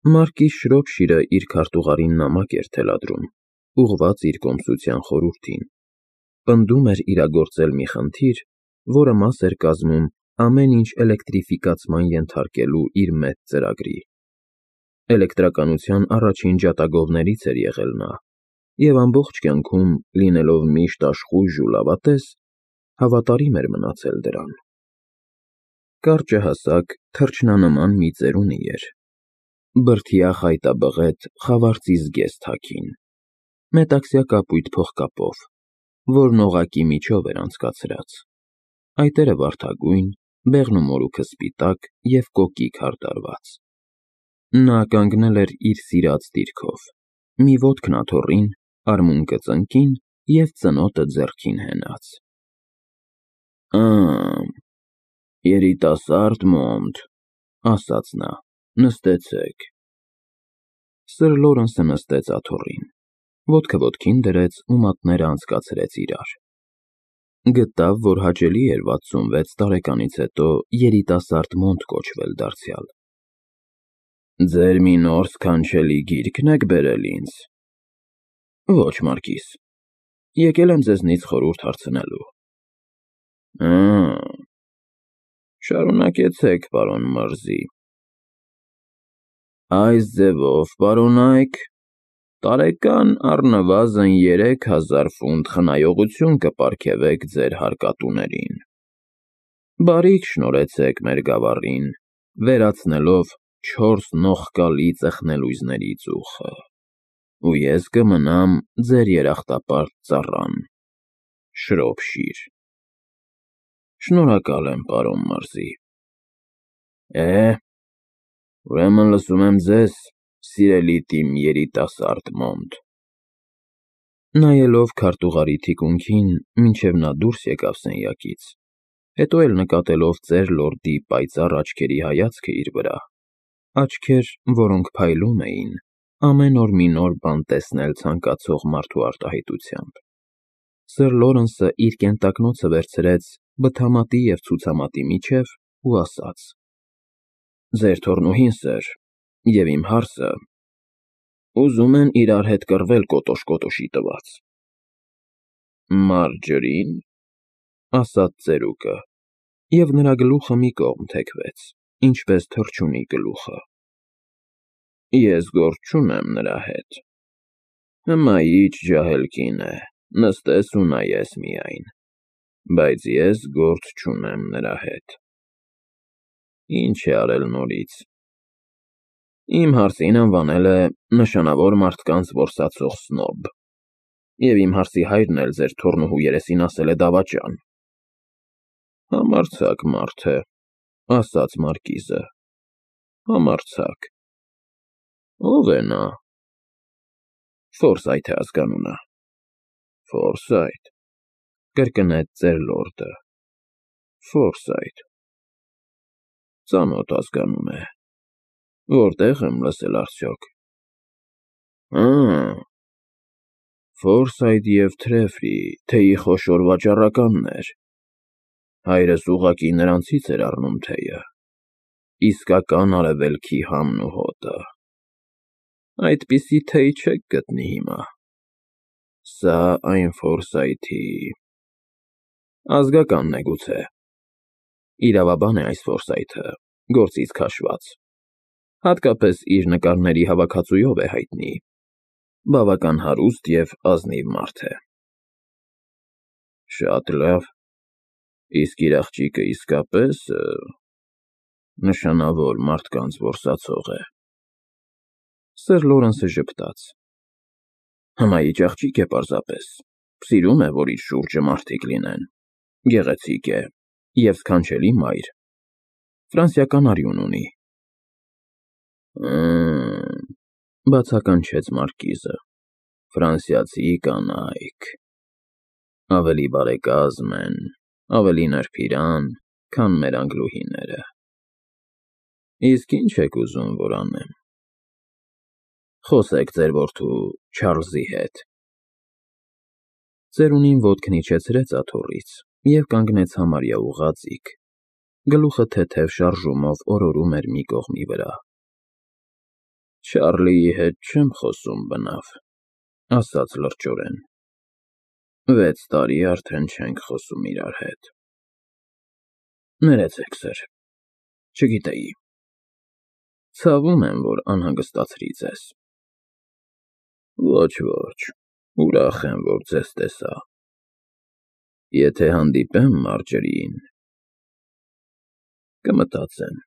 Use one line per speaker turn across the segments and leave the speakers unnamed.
Մարկիս Շրոփշիրը իր քարտուղարին նամակ էր թելադրում, ուղղված իր կոմսության խորհրդին, պնդում էր իրագործել մի խնդիր, որը մաս էր կազմում ամեն ինչ էլեկտրիֆիկացման ենթարկելու իր մեծ ծրագրի։ Էլեկտրականության առաջին ջատագովներից էր եղել նա, և ամբողջ կյանքում, լինելով միշտ աշխույժ ու լավատես, հավատարիմ էր մնացել դրան։ Կարճը հասակ, թռչնանման մի ծերունի էր, բրդյա խայտաբղետ խավարծի զգեստ հագին, մետաքսյա կապույտ փողկապով, որն օղակի միջով էր անցկացրած, այտերը վարդագույն, բեղն ու մորուքը սպիտակ և կոկիկ հարդարված։ Նա կանգնել էր իր սիրած դիրքով, մի ոտքն աթոռին, արմունկը ծնկին և ծնոտը ձեռքին հենած։ Երիտասարդ Մոնտ, ասաց նա, նստեցեք։ Սըր Լորենսը նստեց աթոռին, ոտքը ոտքին դրեց ու մատները անցկացրեց իրար։ Գտավ, որ հաճելի էր 66 տարեկանից հետո երիտասարդ Մոնտ կոչվել դարձյալ։ Ձեր մի նոր սքանչելի գիրքն եք բերել ինձ։ Ոչ, Մարկիս, եկել եմ ձեզնից խորհուրդ հարցնելու։ Շարունակեցեք, պարոն Մըրզի։ Այս ձևով, պարոնայք, տարեկան առնվազն 3000 ֆունտ խնայողություն կպարգևեք ձեր հարկատուներին։ Բարիք շնորհեցեք մեր գավառին, վերացնելով 4 նողկալի ծխնելույզների ծուխը, ու ես կմնամ ձեր երախտապարտ ծառան, Շրոփշիր։ Շնորհակալ եմ, պարոն Մըրզի։ Ուրեմն լսում եմ ձեզ, սիրելի իմ երիտասարդ Մոնտ։ Նայելով քարտուղարի թիկունքին, մինչև նա դուրս եկավ սենյակից, հետո էլ նկատելով ծեր լորդի պայծառ աչքերի հայացքը իր վրա, աչքեր, որոնք փայլում էին, ամեն օր մի նոր բան տեսնել ցանկացող մարդու արտահայտությամբ, սըր Լորենսը իր կենտակնոցը վերցրեց բթամատի և ցուցամատի միջև ու ասաց. Ձեր թոռնուհին, սըր, և իմ հարսը ուզում են իրար հետ կռվել կոտոշ֊կոտոշի տված։ Մարջրի՞ն, ասաց ծերուկը, և նրա գլուխը մի կողմ թեքվեց, ինչպես թռչունի գլուխը։ Ես գործ չունեմ նրա հետ։ Հմայիչ ջահել կին է, նստես ու նայես միայն, բայց ես գործ չունեմ նրա հետ։ Ինչ է արել նորից։ Իմ հարսին անվանել է նշանավոր մարդկանց որսացող սնոբ, և իմ հարսի հայրն էլ ձեր թոռնուհու երեսին ասել է դավաճան։ Համարձակ մարդ է, ասաց Մարկիզը, համարձակ։ Ո՞վ է նա։ Ֆորսայթ է ազգանունը։ Ֆորսայթ, կրկնեց ծեր լորդը, Ֆորսայթ։ Ծանոթ ազգանուն է։ Որտեղ եմ լսել արդյոք։ Ֆորսայթ և Թրեֆրի, թեյի խոշոր վաճառականներ։ Հայրս ուղղակի նրանցից էր առնում թեյը։ Իսկական արևելքի համն ու հոտը։ Այդպիսի թեյ չեք գտնի հիմա։ Սա այն Ֆորսայթի… Ազգականն է գուցե։ Իրավաբան է այս Ֆորսայթը, գործից քաշված։ Հատկապես իր նկարների հավաքածուով է հայտնի։ Բավական հարուստ և ազնիվ մարդ է։ Շատ լավ, իսկ իր աղջիկը իսկապես… նշանավոր մարդկանց որսացող է։ Սըր Լորենսը ժպտաց։ Հմայիչ աղջիկ է պարզապես, սիրում է, որ իր շուրջը մարդիկ լինեն, գեղեցիկ է և սքանչելի մայր, ֆրանսիական արյուն ունի։ Բացականչեց Մարկիզը, ֆրանսիացի կանայք… Ավելի բարեկազմ են, ավելի նրբիրան, քան մեր անգլուհիները։ Իսկ ի՞նչ եք ուզում, որ անեմ։ Խոսեք ձեր որդու Չարլզի հետ։ Ծերունին ոտքն իջեցրեց աթոռից և կանգնեց համարյա ուղղաձիգ, գլուխը թեթև շարժումով օրորում էր մի կողմի վրա։ Չարլիի հետ չեմ խոսում բնավ, ասաց լրջորեն։ 6 տարի արդեն չենք խոսում իրար հետ։ Ներեցեք, սըր, չգիտեի։ Ցավում եմ, որ անհանգստացրի ձեզ։ Ոչ, ուրախ եմ, որ ձեզ տեսա։ Եթե հանդիպեմ Մարջերիին, կմտածեմ։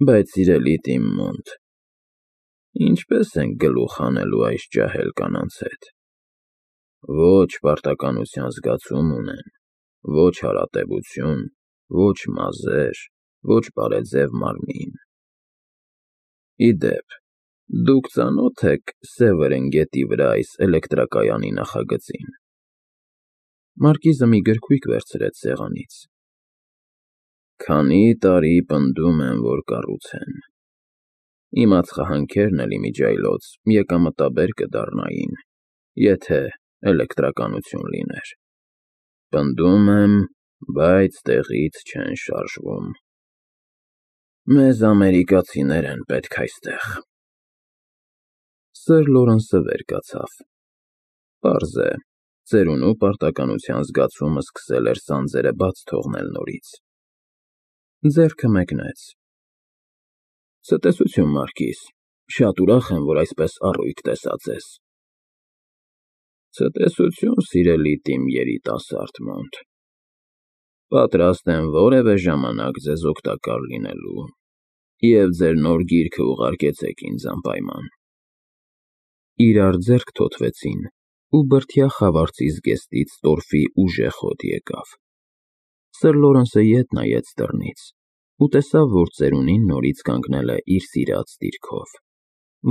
Բայց սիրելի Տիմ Մոնտ, ինչպես ենք գլուխ հանելու այս ջահել կանանց հետ։ Ոչ պարտականության զգացում ունեն, ոչ հարատևություն, ոչ մազեր, ոչ բարեձև մարմին։ Ի դեպ, դուք ծանոթ եք Սևերեն գետի վրա այս էլեկտրակայանի նախագծին։ Մարկիզը մի գրքույկ վերցրեց սեղանից։ Քանի տարի պնդում են, որ կառուցեն։ Իմ ածխահանքերն էլ իմիջիայլոց եկամտաբեր կդառնային, եթե էլեկտրականություն լիներ։ Պնդում եմ, բայց տեղից չեն շարժվում։ Մեզ ամերիկացիներ են պետք այստեղ։ Սըր Լորենսը վեր կացավ։ Պարզ է, ծերունու պարտականության զգացումը սկսել էր սանձերը բաց թողնել նորից։ Ձեռքը մեկնեց։ Ցտեսություն, Մարկիզ, շատ ուրախ եմ, որ այսպես առույգ տեսա ձեզ։ Ցտեսություն, սիրելի Տիմ երիտասարդ Մոնտ։ Պատրաստ եմ որևէ ժամանակ ձեզ օգտակար լինելու, և ձեր նոր գիրքը ուղարկեցեք ինձ անպայման։ Իրար ձեռք թոթվեցին, ու բրդյա խավարցի զգեստից տորֆի ուժեղ հոտ եկավ։ Սըր Լորենսը ետ նայեց դռնից ու տեսավ, որ ծերունին նորից կանգնել է իր սիրած դիրքով,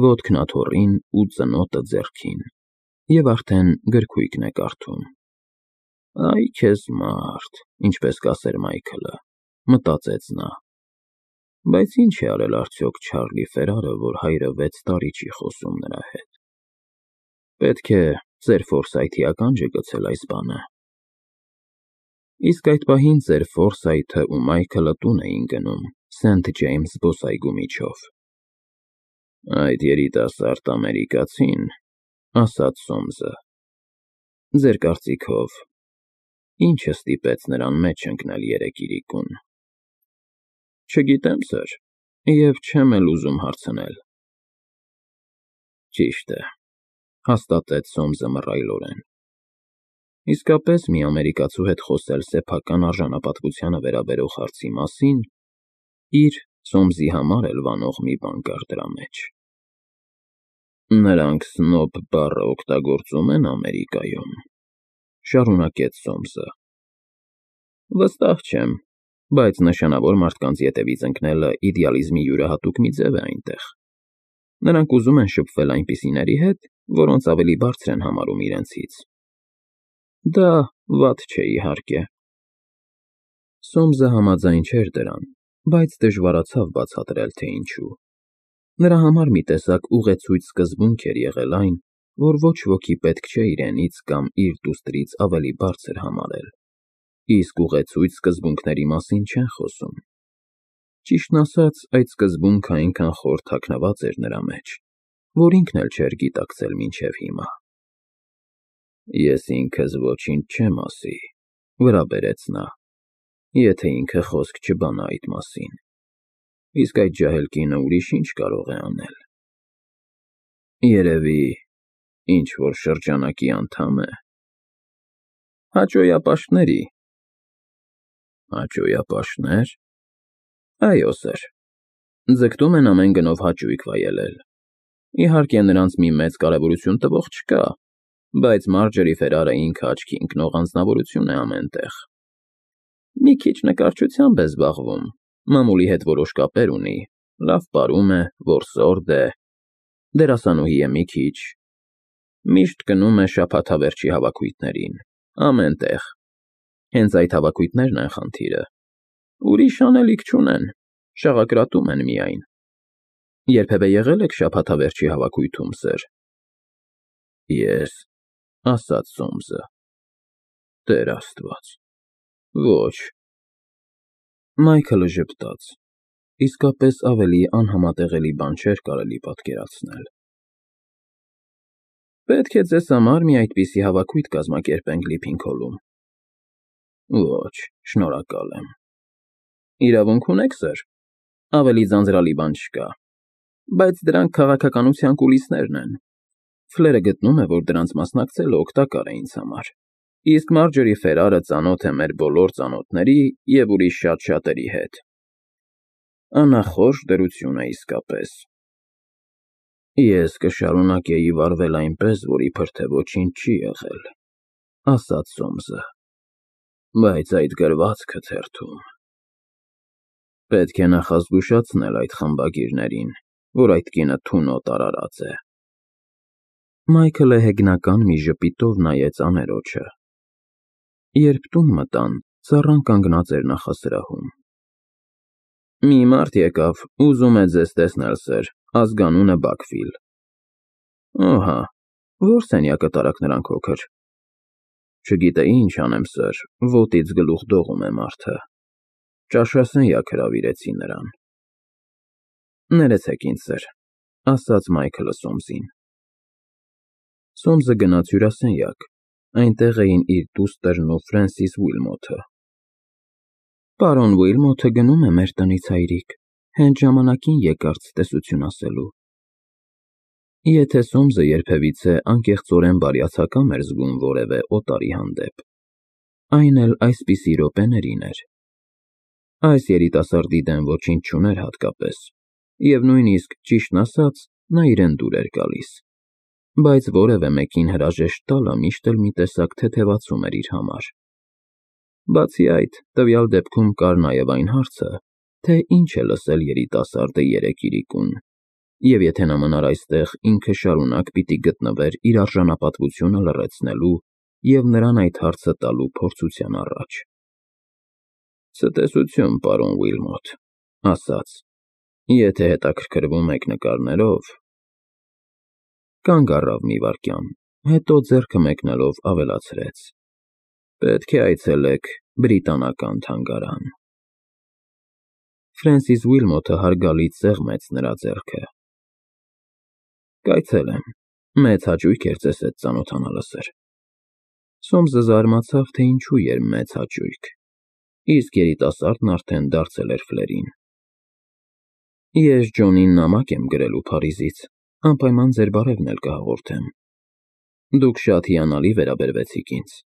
ոտքն աթոռին ու ծնոտը ձեռքին, և արդեն գրքույկն է կարդում։ Այ քեզ մարդ, ինչպես կասեր Մայքլը, մտածեց նա։ Բայց ինչ է արել արդյոք Չարլի Ֆերարը, որ հայրը 6 տարի չի խոսում նրա հետ։ Պետք է ծեր Ֆորսայթի ականջը գցել այս բանը։ Իսկ այդ պահին ծեր Ֆորսայթը ու Մայքլը տուն էին գնում Սենթ Ջեյմս զբոսայգու միջով։ Այդ երիտասարդ ամերիկացին, ասաց Սոմսը, ձեր կարծիքով, ինչը ստիպեց նրան մեջ ընկնել երեկիրիկուն։ Չգիտեմ, սըր, և չեմ էլ ուզում հարցնել։ Ճիշտ է, հաստատեց Սոմսը մռայլորեն։ Իսկապես մի ամերիկացու հետ խոսել սեփական արժանապատվությանը վերաբերող հարցի մասին իր Սոմսի համար էլ վանող մի բան կար դրա մեջ։ Նրանք սնոբ բառը օգտագործում են Ամերիկայում, շարունակեց Սոմսը։ Վստահ չեմ, բայց նշանավոր մարդկանց ետևից ընկնելը իդեալիզմի յուրահատուկ մի ձև է այնտեղ։ Նրանք ուզում են շփվել այնպիսիների հետ, որոնց ավելի բարձր են համարում իրենցից։ Դա վատ չէ, իհարկե։ Սոմսը համաձայն չէր դրան, բայց դժվարացավ բացատրել, թե ինչու։ Նրա համար մի տեսակ ուղեցույց սկզբունք էր եղել այն, որ ոչ ոքի պետք չէ իրենից կամ իր դուստրից ավելի բարձր համարել, իսկ ուղեցույց սկզբունքների մասին չեն խոսում։ Ճիշտն ասած, այդ սկզբունքը այնքան խոր թաքնված էր նրա մեջ, որ ինքն էլ չէր գիտակցել մինչև հիմա։ Ես ինքս ոչինչ չեմ ասի, վրա բերեց նա, եթե ինքը խոսք չբանա այդ մասին, իսկ այդ ջահել կինը ուրիշ ինչ կարող է անել։ Երևի ինչ-որ շրջանակի անդամ է։ Հաճոյապաշտների։ Հաճոյապաշտներ։ Այո, սըր, ձգտում են ամեն գնով հաճույք վայելել։ Իհարկե, նրանց մի մեծ կարևորություն տվող չկա, բայց Մարջերի Ֆերարը ինքը աչքի ընկնող անձնավորություն է ամեն տեղ։ Մի քիչ նկարչությամբ է զբաղվում, մամուլի հետ որոշ կապեր ունի, լավ պարում է, որսորդ է, դերասանուհի է մի քիչ, միշտ գնում է շաբաթավերջի հավաքույթներին, ամեն տեղ։ Հենց այդ հավաքույթներն են խնդիրը։ Ուրիշ անելիք չունեն, շաղակրատում են միայն։ Երբևէ եղել եք շաբաթավերջի հավաքույթում, սըր։ Ես, ասաց Սոմսը, Տեր Աստված, ոչ։ Մայքլը ժպտաց։ իսկապես ավելի անհամատեղելի բան չէր կարելի պատկերացնել։ Պետք է ձեզ համար մի այդպիսի հավաքույթ կազմակերպենք Լիփինքոլում։ Ոչ, շնորհակալ եմ։ Իրավունք ունեք, սըր։ Ավելի ձանձրալի բան չկա։ Բայց դրանք քաղաքականության կուլիսներն են։ Ֆլերը գտնում է, որ դրանց մասնակցելը օգտակար է ինձ համար։ Իսկ Մարջորի Ֆերարը ծանոթ է մեր բոլոր ծանոթների և ուրիշ շատ-շատերի հետ։ Անախորժ դրություն է իսկապես։ Ես կշարունակեի վարվել այնպես, որ իբր թե ոչինչ չի եղել, ասաց Սոմսը, բայց այդ գրվածքը թերթում։ Պետք է նախազգուշացնել այդ խմբագիրներին, որ այդ կինը թունոտ արարած է։ Մայքլը հեգնական մի ժպիտով նայեց աներոջը։ Երբ տուն մտան, ծառան կանգնած էր նախասրահում։ Մի մարդ եկավ, ուզում է ձեզ տեսնել, սըր, ազգանունը Բաքվիլ։ Ահա, որ սենյակը տարաք նրան քոքր։ Չգիտեի ինչ անեմ, սըր, ոտից գլուխ դողում է մարդը։ Ճաշասենյակ հրավիրեցի նրան։ Ներեցեք ինձ, սըր, ասաց Մայքլը Սոմսին։ Սոմսը գնաց հյուրասենյակ, այնտեղ էին իր դուստրն ու Ֆրենսիս Ուիլմոթը։ Պարոն Ուիլմոթը գնում է մեր տնից, հայրիկ, հենց ժամանակին եկար ցտեսություն ասելու։ Եթե Սոմսը երբևիցե անկեղծորեն բարյացակամ էր զգում որևէ օտարի հանդեպ, այն էլ այսպիսի րոպեներին էր։ Այս երիտասարդի դեմ ոչինչ չուներ հատկապես, և նույնիսկ, ճիշտն ասած, նա իրեն դուր էր գալիս, բայց որևէ մեկին հրաժեշտ տալը միշտ էլ մի տեսակ թեթևացում էր իր համար։ Բացի այդ, տվյալ դեպքում կար նաև այն հարցը, թե ինչ է լսել երիտասարդը երեկ իրիկուն, և եթե նա մնար այստեղ, ինքը շարունակ պիտի գտնվեր իր արժանապատվությունը լռեցնելու և նրան այդ հարցը տալու փորձության առաջ։ Ցտեսություն, պարոն Ուիլմոթ, ասաց, եթե հետաքրքրվում եք նկարներով։ Կանգ առավ մի վայրկյան, հետո ձեռքը մեկնելով ավելացրեց. Պետք է այցելեք Բրիտանական թանգարան։ Ֆրենսիս Ուիլմոթը հարգալից սեղմեց նրա ձեռքը։ Կայցելեմ, մեծ հաճույք էր ձեզ հետ ծանոթանալը, սըր։ Սոմսը զարմացավ, թե ինչու էր մեծ հաճույք, իսկ երիտասարդն արդեն դարձել էր Ֆլերին։ Ես Ջոնին նամակ եմ գրելու Փարիզից, անպայման ձեր բարևն էլ կհաղորդեմ։ Դուք շատ հիանալի վերաբերվեցիք ինձ։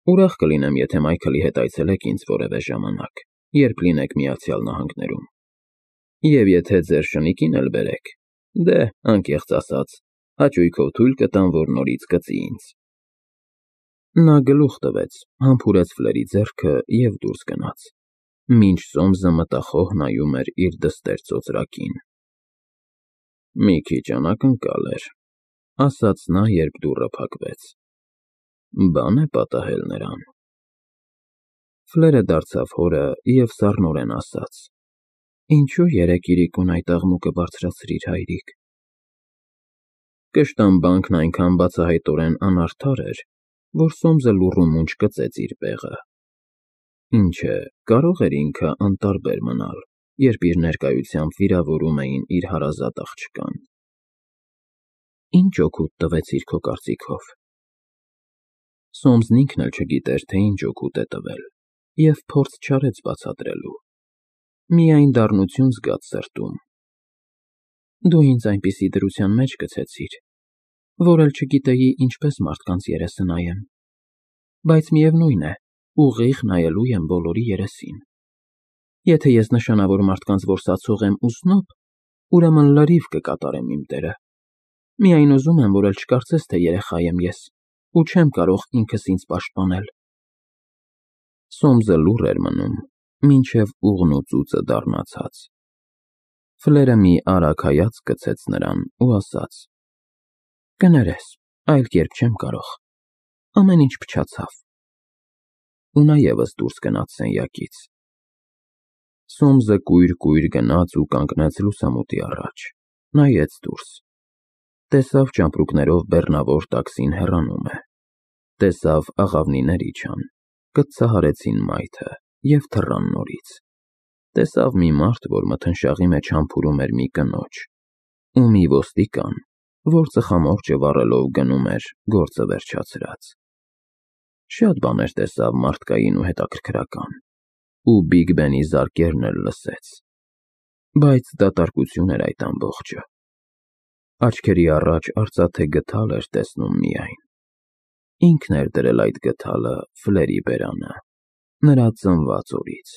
Ուրախ կլինեմ, եթե Մայքլի հետ այցելեք ինձ որևէ ժամանակ, երբ լինեք Միացյալ Նահանգներում։ Եվ եթե ձեր շնիկին էլ բերեք, դե, անկեղծ ասած, հաճույքով թույլ կտամ, որ նորից կծի ինձ։ Նա գլուխ տվեց, համբուրեց Ֆլերի ձեռքը և դուրս գնաց, մինչ Սոմսը մտախոհ նայում էր իր դստեր ծոծրակին։ Մի քիչ անակնկալ էր, ասաց նա, երբ դուռը փակվեց։ Բան է պատահել նրան։ Ֆլերը դարձավ հորը և սառնորեն ասաց. Ինչու երեկ իրիկուն այդ աղմուկը բարձրացրիր, հայրիկ։ Կշտամբանքն այնքան բացահայտորեն անարդար էր, որ Սոմսը լուռ ու մունջ կծեց իր պեղը։ Ինչ է, կարող էր ինքը անտարբեր մնալ, երբ իր ներկայությամբ վիրավորում էին իր հարազատ աղջկան։ Ինչ օգուտ տվեցիր քո կարծիքով։ Սոմսն ինքն էլ չգիտեր, թե ինչ օգուտ է տվել, և փորձ չարեց բացատրելու։ Միայն դառնություն զգաց սրտում։ Դու ինձ այնպիսի դրության մեջ գցեցիր, որ էլ չգիտեի ինչպես մարդկանց երեսը նայեմ, բայց միևնույն է, ուղիղ նայելու եմ բոլորի երեսին։ Եթե ես նշանավոր մարդկանց որսացող եմ ու սնոբ, ուրեմն լրիվ կկատարեմ իմ դերը։ Միայն ուզում եմ, որ էլ չկարծես, թե երեխա եմ ես, ու չեմ կարող ինքս ինձ պաշտպանել։ Սոմսը լուռ էր մնում, մինչև ուղն ու ծուծը դառնացած։ Ֆլերը մի արագ հայացք գցեց նրան ու ասաց. Կներես, այլ կերպ չեմ կարող։ Ամեն ինչ փչացավ։ Ու նա ևս դուրս գնաց սենյակից։ Սոմսը կույր գնաց ու կանգնեց լուսամուտի առաջ, նայեց դուրս։ Տեսավ ճամպրուկներով բեռնավոր տաքսին հեռանում է։ Տեսավ աղավնիներ իջան, կծահարեցին մայթը և թռան նորից։ տեսավ մի մարդ, որ մթնշաղի մեջ համբուրում էր մի կնոջ, ու մի ոստիկան, որ ծխամորճը վառելով գնում էր գործը վերջացրած։ Շատ բաներ տեսավ մարդկային ու հետաքրքրական, ու Բիգ Բենի զարկերն էլ լսեց, բայց դատարկություն էր այդ ամբողջը։ Աչքերի առաջ արծաթե գդալ էր տեսնում միայն։ Ինքն էր դրել այդ գդալը Ֆլերի բերանը, նրա ծնված օրից։